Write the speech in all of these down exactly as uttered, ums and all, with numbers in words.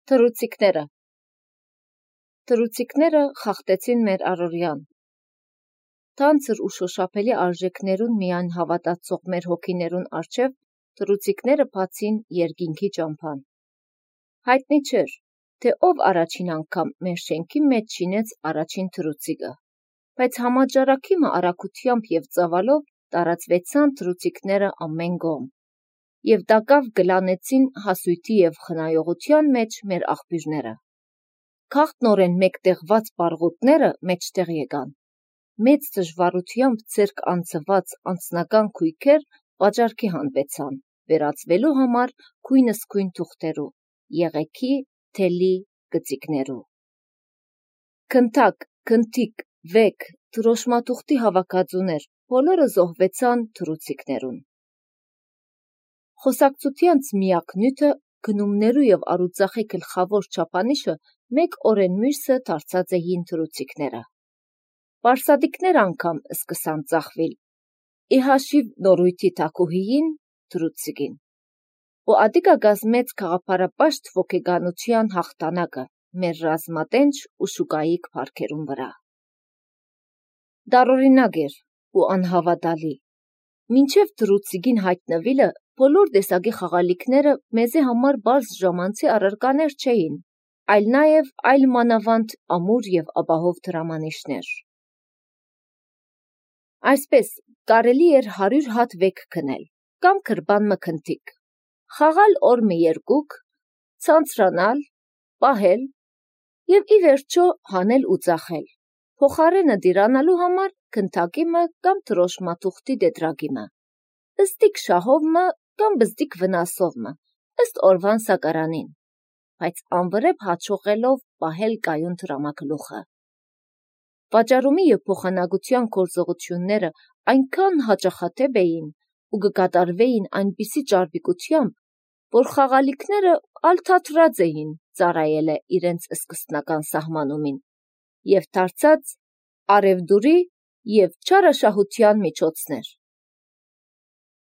Թռուցիկները Թռուցիկները խախտեցին մեր առօրյան։ Թանձր ու շոշափելի արժեքներուն միայն հավատացող մեր հոգիներուն առջև թռուցիկները բացին երկինքի ճամփան։ Հայտնի չէր, թե ով առաջին անգամ մեր շենքի մեջ շինեց առաջին թռուցիկը, բայց համաճարակիմը արագությամբ եւ ծավալով տարածվեցան թռուցիկները ամեն կողմ, եւ դակավ գլանեցին հասույթի եւ խնայողության մեջ մեր աղբյուրները։ Քաղտնորեն մեկտեղված պառղոտները մեջտեղ եկան։ Մեծ դժվարությամբ ձեռք անցված անձնական քույքեր վաճառքի հանվեցան, վերածվելու համար քույնսկույն թուղթերու, եղեքի, թելի, գծիկներու։ Քնթակ, քնթիկ, վեք, դրոշմաթուղթի հավաքածուներ, բոլորը զոհվեցան թռուցիկներուն։ Խոսակցությանց միակ նյութը գնումներու եւ առուծախի գլխավոր չափանիշը մեկ օրեն մյուսը դարձած էին թռուցիկները։ Պարսադիկներ անգամ սկսան ծախվել, ի հաշիվ նորույթի թագուհիին թռուցիկին։ Ու ադիկա գազմեց քաղաքապաշտ ոգեգանության հաղթանակը մեր ռազմատենչ ու շուկայիկ փառքերուն վրա։ Դարօրինակ էր ու անհավատալի։ Մինչև թռուցիկին հայտնվելը բոլոր տեսակի խաղալիքները մեզի համար բարձ ժամանցի առարկաներ չէին, այլ նաև այլ մանավանդ ամուր եւ ապահով դրամանիշներ։ Այսպես կարելի էր հարյուր հատ վեք քնել, կամ քրբան մը քնթիկ, խաղալ օր մը երկուք, ցանցրանալ, պահել եւ ի վերջո հանել ու ծախել, փոխարենը դիրանալու համար քնթակի մը կամ դրոշմաթուղթի տետրակի մը, ըստիկ շահով մը կամ բզդիկ վնասով մը, ըստ օրվան սակարանին, բայց անվրեպ հաջողելով պահել կայուն դրամագլուխը։ Վաճառումի եւ փոխանակության գործողությունները այնքան հաճախաթեփ էին ու կկատարվեին այնպիսի ճարպիկությամբ, որ խաղալիքները ալթաթրած էին ծառայելը իրենց սկզբնական սահմանումին եւ դարձած արևդուրի եւ չարաշահության միջոցներ։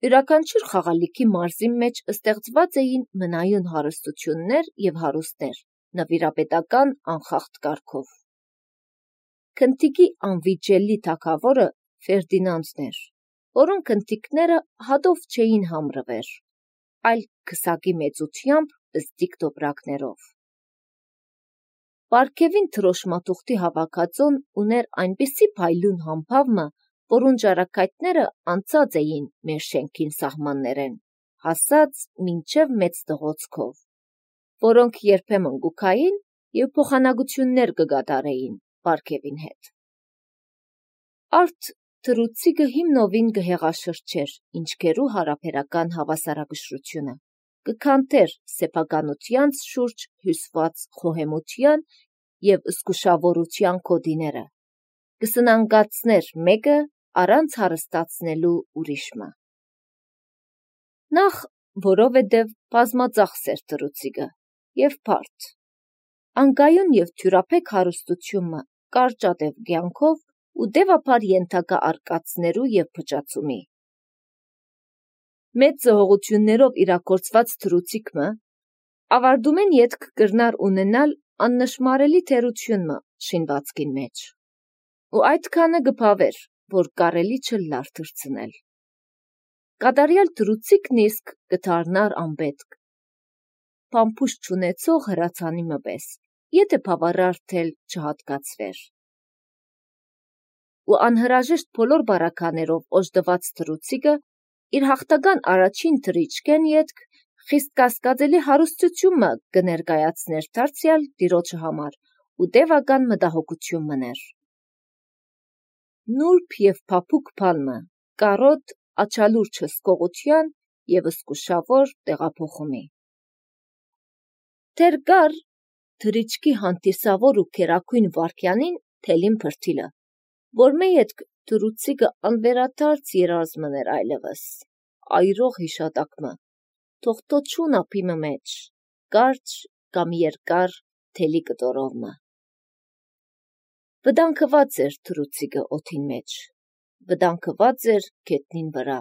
Յուրաքանչյուր խաղալիքի մարզի մեջ ստեղծված էին մնայուն հարստություններ եւ հարուստներ, նվիրապետական անխախտ կարգով։ Քնթիկի անվիճելի թագավորը Ֆերդինանդն էր, որուն քնթիկները հադով չէին համրվեր, այլ քսակի մեծությամբ բզդիկ տոպրակներով։ Պարգևին դրոշմաթուղթի հավաքածուն ուներ այնպիսի փայլուն համբավը, որուն ճարակայթները անցած էին մեր շենքին սահմաններեն, հասած մինչև մեծ դղոցքով, որոնք երբեմն գուքային եւ փոխանակություններ կգադարեին պարգևին հետ։ Արդ թռուցիկը հիմնովին կհեղաշրջեր ինչքերու հարաբերական հավասարակշռությունը, կքանթեր սեփականությանց շուրջ հյուսված խոհեմության եւ զգուշավորության կոդիները, կսնանգացներ մեկը առանց հարստացնելու ուրիշը։ Նախ, որովհետև բազմածախս էր թռուցիկը եւ բարդ, անկայուն եւ թյուրափեք հարստությունը կարճատև կյանքով ու դեպաբար ենթակա արկածներու եւ փճացումի։ Մեծ զոհողություններով իրագործված թռուցիկը ավարտումեն ետք կրնար ունենալ աննշմարելի թերությունը շինվածքին մեջ, ու այդքանը կփավեր, որ կարելի չլար թռցնել։ Կատարյալ թռուցիկն իսկ կդառնար անպետք, փամփուշտ չունեցող հրացանի մպես, եթե բավարար թել չհատկացվեր։ Ու անհրաժեշտ բոլոր բարականերով օժտված թռուցիկը իր հաղթական առաջին թռիչքեն ետք խիստ կասկածելի հարստությունը կներկայացներ դարձյալ տիրոջը համար ու տևական մտահոգություն մներ։ Նուրբ եւ փափուկ բանը, կարոտ աչալուրջ հսկողության եւ զգուշավոր տեղափոխումի։ Դեր կար թռիչքի հանդիսավոր ու քերակույն վարքյանին թելին փրթիլը, որ մեյ ետք թռուցիկը անվերադարձ երազմներ այլևս, այրող հիշատակմը, թողտոչուն ափիմը մեջ, կարճ կամ երկար թելի կտորովմը։ Վտանգված էր թռուցիկը օդին մեջ, վտանգված էր գետնին վրա,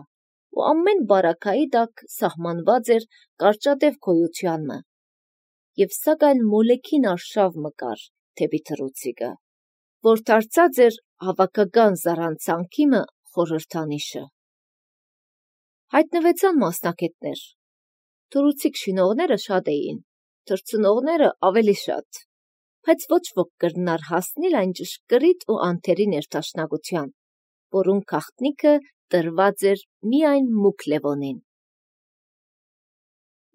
ու ամեն բարակայի տակ սահմանված էր կարճատև գոյությանը, և սակայն մոլեքին արշավ մկար թեպի թռուցիկը, որ դարձած էր հավաքական զառանցանքի մը խորհրդանիշը։ Հայտնվեցան մասնակետներ։ Թռուցիկ շինողները շատ էին, թռցնողները ավելի շատ, բայց ոչ ոք կրնար հասնել այն ճշգրիտ ու անթերի ներդաշնակության, որուն գաղտնիքը տրված էր միայն մուգ Լևոնին։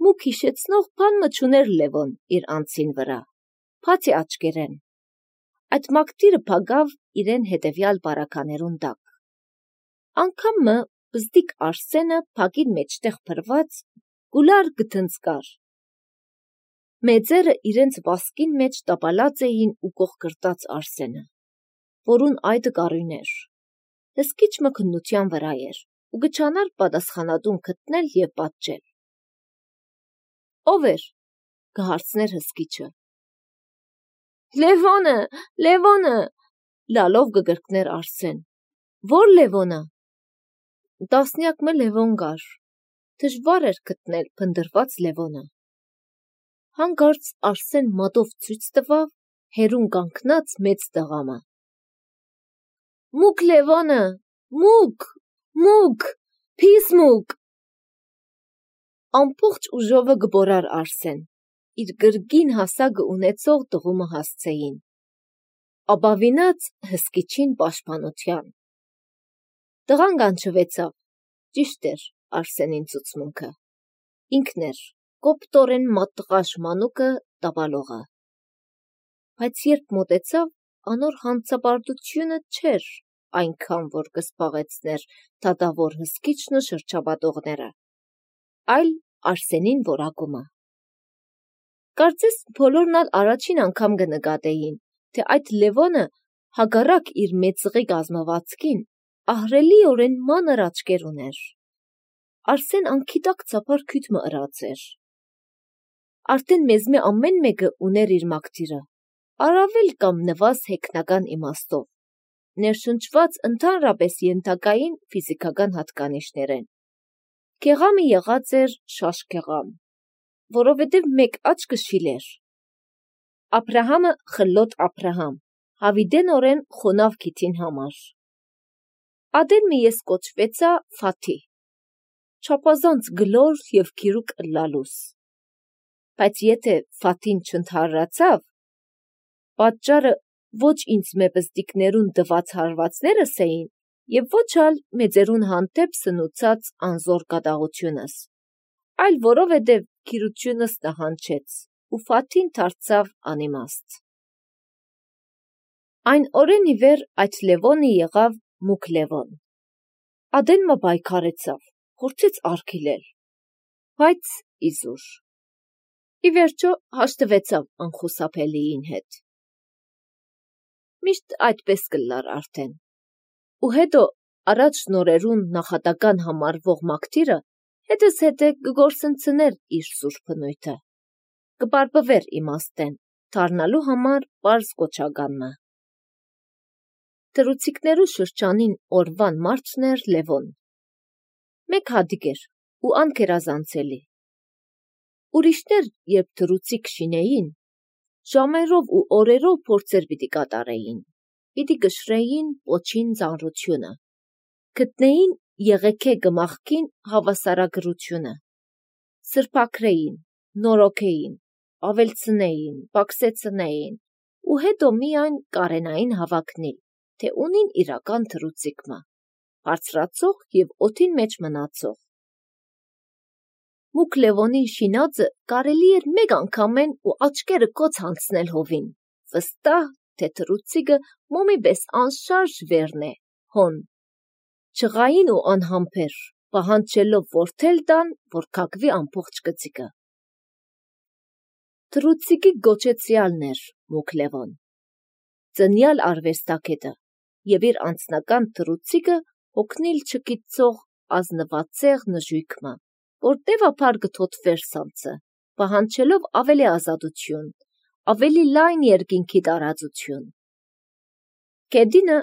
Մուգ հիշեցնող բան մը չուներ Լևոն իր անձին վրա, բացի աչքերեն։ Այդ մակդիրը փագավ իրեն հետևյալ բարականերուն տակ։ Անգամ մը բզդիկ Արսենը փագին մեջտեղ փրված գուլար գթնցկար։ Մեծերը իրենց վասկին մեջ տապալած էին ու կողկրտած Արսենը, որուն այդը կարույներ, հսկիչ մը քննության վրա էր ու գչանար պատասխանատուն գտնել և պատժել։ Ո՞վ էր, կհարցներ հսկիչը։ Լևոնը, Լևոնը, լալով կգրկներ Արսեն։ Որ Լևոնը։ Տասնյակ մը Լևոն կար, դժվար էր գտնել փնդրված Լևոնը։ Հանկարծ Արսեն մատով ցույց տվավ հերուն կանգնած մեծ տղամը։ Մուգ Լևոնը, մուգ, մուգ, փիս մուգ։ Ամբողջ ուժովը գբորար Արսեն, իր գրգին հասակը ունեցող տղումը հասցեին, աբավինած հսկիչին պաշտպանության։ Տղան կանչվեցավ, ճիշտ էր Արսենին ցուցմունքը, ինքն էր կոպտորեն մատտղաշ մանուկը տապալողը, բայց երբ մոտեցավ, անոր հանցապարտությունը չէր այնքան, որ կսպաղեցներ դատավոր հսկիչն ու շրջապատողները, այլ Արսենին որակումը։ Կարծես բոլորն ալ առաջին անգամ կնկատեին, թե այդ Լևոնը հակառակ իր մեծղի կազմվածքին ահռելիորեն մանր աչքեր ուներ։ Արսեն անգիտակ ծափար քյութ մը ըրած էր։ Արդեն մեզմե ամեն մեկը ուներ իր մակդիրը, առավել կամ նվազ հեգնական իմաստով, ներշնչված ընդհանրապես ենթակային ֆիզիկական հատկանիշներեն։ Գեղամը եղած էր շաշկեղամ, որովհետև մեկ աչքը շիլեր։ Աբրահամը խլոտ Աբրահամ, հավիդենորեն խոնավ գիթին համար։ Ադեն մի ես կոչվեցա Ֆաթի, չափազանց գլոր և գիրուկ ըլլալուս, բայց եթե Ֆաթին չընդհարրացավ, պատճառը ոչ ինձ մե բզդիկներուն տված հարվածներս էին և ոչ ալ մեծերուն հանդեպ սնուցած անզոր կատաղությունս, այլ որովհետև գիրությունս նահանջեց ու Ֆաթին դարձավ անիմաստ։ Այն օրեն ի վեր այդ Լևոնը եղավ մուգ Լևոն։ Ադեն մը պայքարեցավ, փորձեց արգիլել, բայց իզուր։ Ի վերջո հաշտվեցավ անխուսափելիին հետ։ Միշտ այդպես կլար արդեն։ Ու հետո առաջ նորերուն նախատական համարվող մակդիրը հետս հետե կգործընծներ իր սուրբ բնույթը, կպարբվեր իմաստեն, դառնալու համար պարզ կոչականնը։ Թռուցիկներու շրջանին օրվան մարդն էր Լևոն։ Մեկ հատիկ էր ու անգերազանցելի։ Ուրիշներ, երբ թռուցիկ շինեին, ժամերով ու օրերով փորձեր պիտի կատարեին, պիտի կշռեին պոչին ծանրությունը, գտնեին եղեգե գմախքին հավասարագրությունը, սրբաքրեին, նորոգեին, ավելցնեին, պակսեցնեին ու հետո միայն կարենային հավակնիլ, թե ունին իրական թռուցիկ մը, բարձրացող և օդին մեջ մնացող։ Մուգ Լևոնին շինածը կարելի էր մեկ անգամեն ու աչքերը կոց հանցնել հովին, վստահ, թե թռուցիկը մոմի պես անշարժ վերն է, հոն, չղային ու անհամբեր, պահանջելով որդել տան, որ կակվի ամբողջ գծիկը։ Թռուցիկի գոչեցյալն էր մուգ Լևոն, ծնյալ արվեստագետը և իր անձնական թռուցիկը հոգնիլ չգիտցող ազնվածեղ նժույգ մը, որ տևափար կթոթվեր սանձը, պահանջելով ավելի ազատություն, ավելի լայն երկինքի տարածություն։ Գեդինը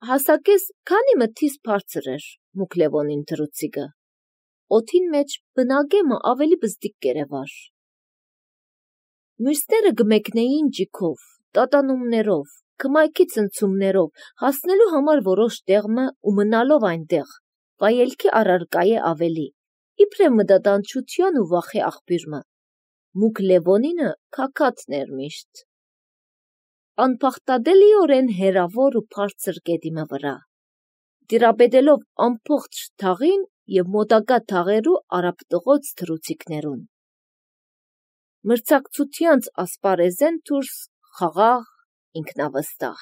հասակես քանի մթիս բարձր էր մուգ Լևոնին թռուցիկը, օդին մեջ բնագեմը ավելի բզդիկ կերևար։ Մյուսները գմեկնեին ջիքով, տատանումներով, կմայքի ցնցումներով, հասնելու համար որոշ տեղմը ու մնալով այնտեղ, վայելքի առարկայ է ավելի, իբրև մտադանչության ու վախի աղբյուրմը, մուկ Լևոնինը քաքաթն էր միշտ, անփախտադելիորեն հեռավոր ու բարձր գետիմը վրա, տիրապետելով ամբողջ թաղին և մոտակա թաղերու արաբտղոց թռուցիկներուն, մրցակցությանց ասպարեզեն դուրս խաղաղ ինքնավստահ։